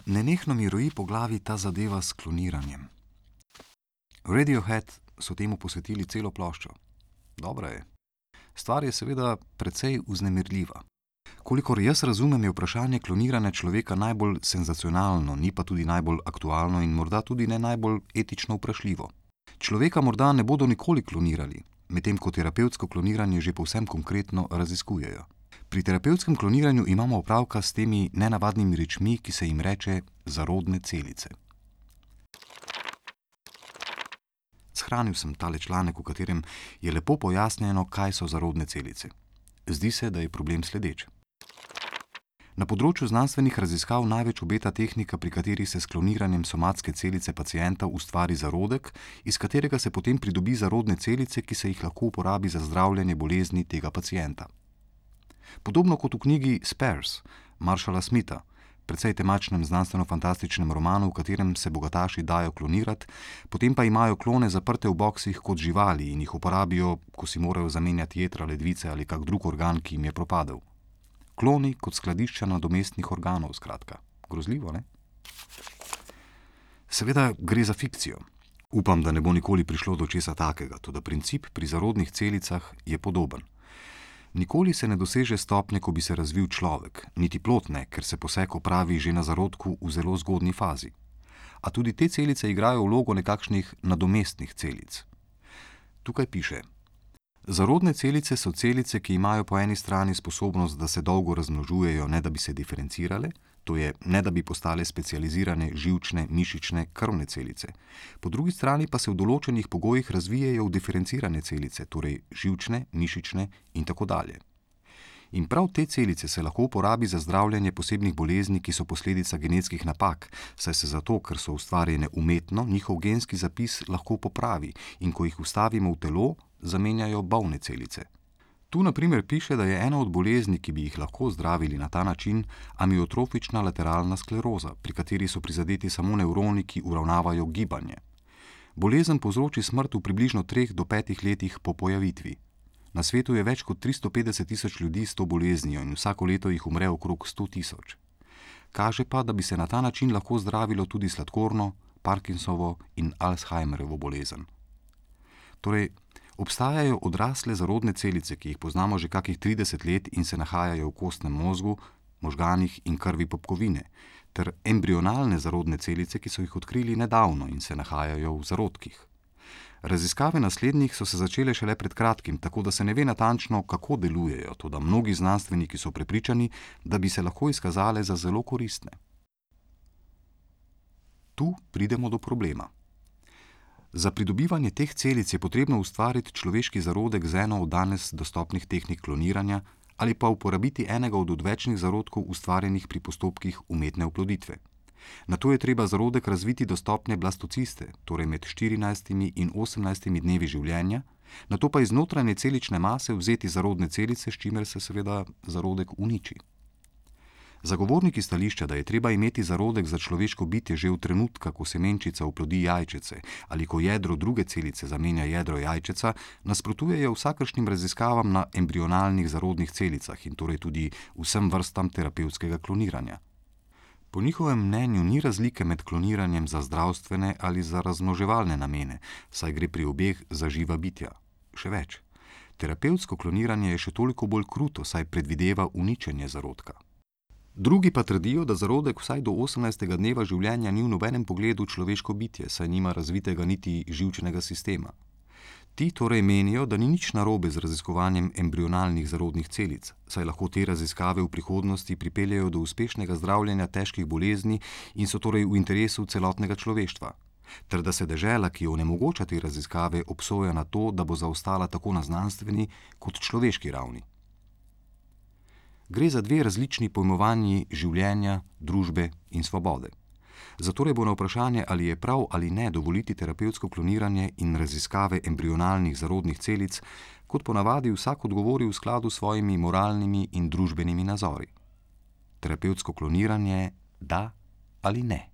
Nenehno mi roji po glavi ta zadeva s kloniranjem. Radiohead so temu posvetili celo ploščo. Dobra je. Stvar je seveda precej vznemirljiva. Kolikor jaz razumem, je vprašanje kloniranja človeka najbolj senzacionalno, ni pa tudi najbolj aktualno in morda tudi ne najbolj etično vprašljivo. Človeka morda ne bodo nikoli klonirali, medtem ko terapevtsko kloniranje že povsem konkretno raziskujejo. Pri terapevtskem kloniranju imamo opravka s temi nenavadnimi rečmi, ki se jim reče zarodne celice. Shranil sem tale članek, v katerem je lepo pojasnjeno, kaj so zarodne celice. Zdi se, da je problem sledeč. Na področju znanstvenih raziskav največ obeta tehnika, pri kateri se s kloniranjem somatske celice pacienta ustvari zarodek, iz katerega se potem pridobi zarodne celice, ki se jih lahko uporabi za zdravljenje bolezni tega pacienta. Podobno kot v knjigi Spares Marshalla Smitha, precej temačnem znanstveno-fantastičnem romanu, v katerem se bogataši dajo klonirati, potem pa imajo klone zaprte v boksih kot živali in jih uporabijo, ko si morajo zamenjati jetra, ledvice ali kak drug organ, ki jim je propadel. Kloni kot skladišča nadomestnih organov, skratka. Grozljivo, ne? Seveda gre za fikcijo. Upam, da ne bo nikoli prišlo do česa takega, toda princip pri zarodnih celicah je podoben. Nikoli se ne doseže stopnje, ko bi se razvil človek, niti plod ne, ker se poseg opravi že na zarodku v zelo zgodnji fazi. A tudi te celice igrajo vlogo nekakšnih nadomestnih celic. Tukaj piše: zarodne celice so celice, ki imajo po eni strani sposobnost, da se dolgo razmnožujejo, ne da bi se diferencirale, to je, ne da bi postale specializirane živčne, mišične, krvne celice. Po drugi strani pa se v določenih pogojih razvijejo v diferencirane celice, torej živčne, mišične in tako dalje. In prav te celice se lahko uporabi za zdravljenje posebnih bolezni, ki so posledica genetskih napak, saj se zato, ker so ustvarjene umetno, njihov genski zapis lahko popravi in ko jih vstavimo v telo, zamenjajo bolne celice. Tu na primer piše, da je ena od bolezni, ki bi jih lahko zdravili na ta način, amiotrofična lateralna skleroza, pri kateri so prizadeti samo nevroni, ki uravnavajo gibanje. Bolezen povzroči smrt v približno 3 do 5 letih po pojavitvi. Na svetu je več kot 350 tisoč ljudi s to boleznijo in vsako leto jih umre okrog 100 tisoč. Kaže pa, da bi se na ta način lahko zdravilo tudi sladkorno, Parkinsovo in Alzheimerjevo bolezen. Torej, obstajajo odrasle zarodne celice, ki jih poznamo že kakih 30 let in se nahajajo v kostnem mozgu, možganih in krvi popkovine, ter embrionalne zarodne celice, ki so jih odkrili nedavno in se nahajajo v zarodkih. Raziskave naslednjih so se začele šele pred kratkim, tako da se ne ve natančno, kako delujejo, toda mnogi znanstveniki so prepričani, da bi se lahko izkazale za zelo koristne. Tu pridemo do problema. Za pridobivanje teh celic je potrebno ustvariti človeški zarodek z eno od danes dostopnih tehnik kloniranja ali pa uporabiti enega od odvečnih zarodkov ustvarjenih pri postopkih umetne oploditve. Nato je treba zarodek razviti do stopnje blastociste, torej med 14 in 18 dnevi življenja, nato pa iz notranje celične mase vzeti zarodne celice, s čimer se seveda zarodek uniči. Zagovorniki stališča, da je treba imeti zarodek za človeško bitje že v trenutka, ko semenčica oplodi jajčece ali ko jedro druge celice zamenja jedro jajčeca, nasprotujejo vsakršnim raziskavam na embrionalnih zarodnih celicah in torej tudi vsem vrstam terapevtskega kloniranja. Po njihovem mnenju ni razlike med kloniranjem za zdravstvene ali za razmnoževalne namene, saj gre pri obeh za živa bitja. Še več, terapevtsko kloniranje je še toliko bolj kruto, saj predvideva uničenje zarodka. Drugi pa trdijo, da zarodek vsaj do 18. dneva življenja ni v nobenem pogledu človeško bitje, saj nima razvitega niti živčnega sistema. Ti torej menijo, da ni nič narobe z raziskovanjem embrionalnih zarodnih celic, saj lahko te raziskave v prihodnosti pripeljejo do uspešnega zdravljenja težkih bolezni in so torej v interesu celotnega človeštva, ter da se dežela, ki onemogoča te raziskave, obsoja na to, da bo zaostala tako na znanstveni kot človeški ravni. Gre za dve različni pojmovanji življenja, družbe in svobode. Zatorej bo na vprašanje, ali je prav ali ne dovoliti terapevtsko kloniranje in raziskave embrionalnih zarodnih celic, kot ponavadi vsak odgovori v skladu s svojimi moralnimi in družbenimi nazori. Terapevtsko kloniranje da ali ne?